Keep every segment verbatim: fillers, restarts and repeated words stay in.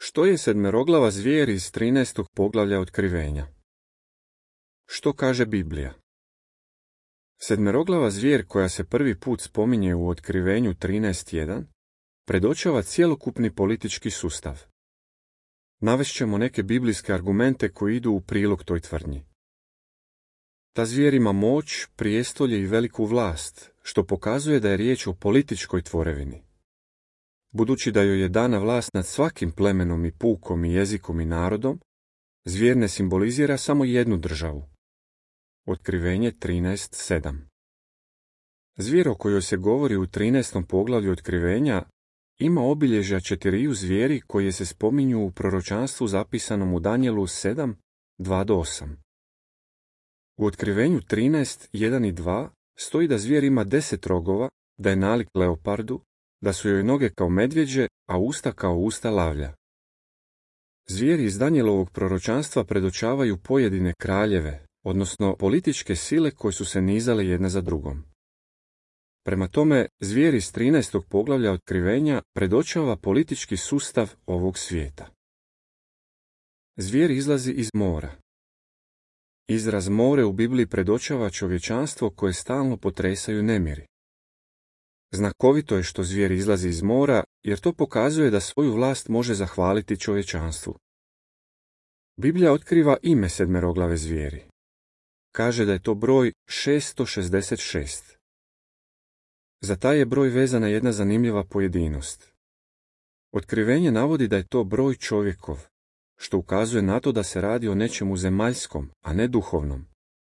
Što je sedmeroglava zvijer iz trinaestog poglavlja Otkrivenja? Što kaže Biblija? Sedmeroglava zvijer koja se prvi put spominje u Otkrivenju trinaest jedan predočava cjelokupni politički sustav. Navešćemo neke biblijske argumente koji idu u prilog toj tvrdnji. Ta zvijer ima moć, prijestolje i veliku vlast, što pokazuje da je riječ o političkoj tvorevini. Budući da joj je dana vlast nad svakim plemenom i pukom i jezikom i narodom, zvijer ne simbolizira samo jednu državu. Otkrivenje trinaest sedam. Zvijer o kojoj se govori u trinaestom poglavlju Otkrivenja ima obilježja četiriju zvijeri koje se spominju u proročanstvu zapisanom u Danijelu sedam, dva do osam. U Otkrivenju trinaest jedan i dva stoji da zvijer ima deset rogova, da je nalik leopardu, da su joj noge kao medvjeđe, a usta kao usta lavlja. Zvijeri iz Danijelovog proročanstva predočavaju pojedine kraljeve, odnosno političke sile koje su se nizale jedna za drugom. Prema tome, zvijer iz trinaestog poglavlja Otkrivenja predočava politički sustav ovog svijeta. Zvijer izlazi iz mora. Izraz more u Bibliji predočava čovječanstvo koje stalno potresaju nemiri. Znakovito je što zvijer izlazi iz mora, jer to pokazuje da svoju vlast može zahvaliti čovječanstvu. Biblija otkriva ime sedmeroglave zvijeri. Kaže da je to broj šesto šezdeset šest. Za taj je broj vezana jedna zanimljiva pojedinost. Otkrivenje navodi da je to broj čovjekov, što ukazuje na to da se radi o nečemu zemaljskom, a ne duhovnom.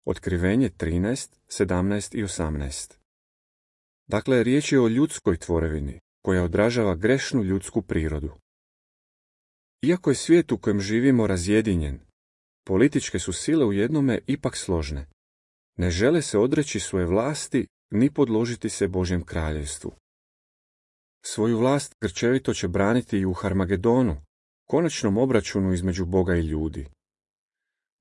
Otkrivenje trinaest, sedamnaest i osamnaest. Dakle, riječ je o ljudskoj tvorevini, koja odražava grešnu ljudsku prirodu. Iako je svijet u kojem živimo razjedinjen, političke su sile u jednome ipak složne. Ne žele se odreći svoje vlasti ni podložiti se Božjem kraljevstvu. Svoju vlast grčevito će braniti i u Harmagedonu, konačnom obračunu između Boga i ljudi.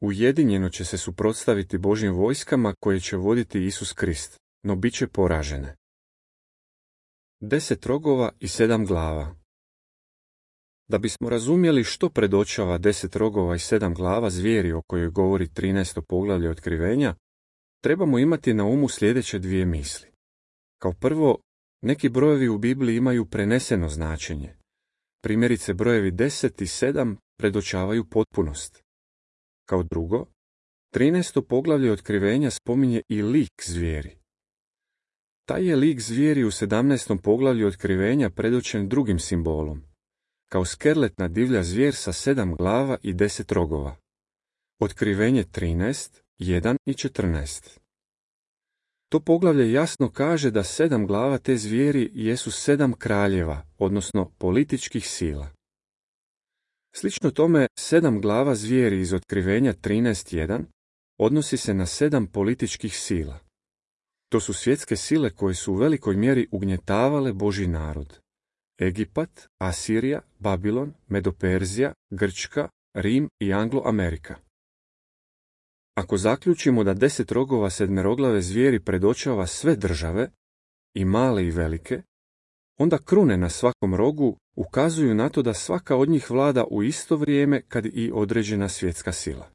Ujedinjeno će se suprotstaviti Božjim vojskama koje će voditi Isus Krist, no bit će poražene. Deset rogova i sedam glava. Da bismo razumjeli što predočava deset rogova i sedam glava zvijeri o kojoj govori trinaesto poglavlje Otkrivenja, trebamo imati na umu sljedeće dvije misli. Kao prvo, neki brojevi u Bibliji imaju preneseno značenje. Primjerice brojevi deset i sedam predočavaju potpunost. Kao drugo, trinaesto poglavlje Otkrivenja spominje i lik zvijeri. Taj je lik zvijeri u sedamnaestom poglavlju Otkrivenja predočen drugim simbolom, kao skerletna divlja zvijer sa sedam glava i deset rogova. Otkrivenje trinaest, jedan i četrnaest. To poglavlje jasno kaže da sedam glava te zvijeri jesu sedam kraljeva, odnosno političkih sila. Slično tome, sedam glava zvijeri iz Otkrivenja trinaest jedan odnosi se na sedam političkih sila. To su svjetske sile koje su u velikoj mjeri ugnjetavale Božji narod. Egipat, Asirija, Babilon, Medoperzija, Grčka, Rim i Anglo-Amerika. Ako zaključimo da deset rogova sedmeroglave zvijeri predočava sve države, i male i velike, onda krune na svakom rogu ukazuju na to da svaka od njih vlada u isto vrijeme kad i određena svjetska sila.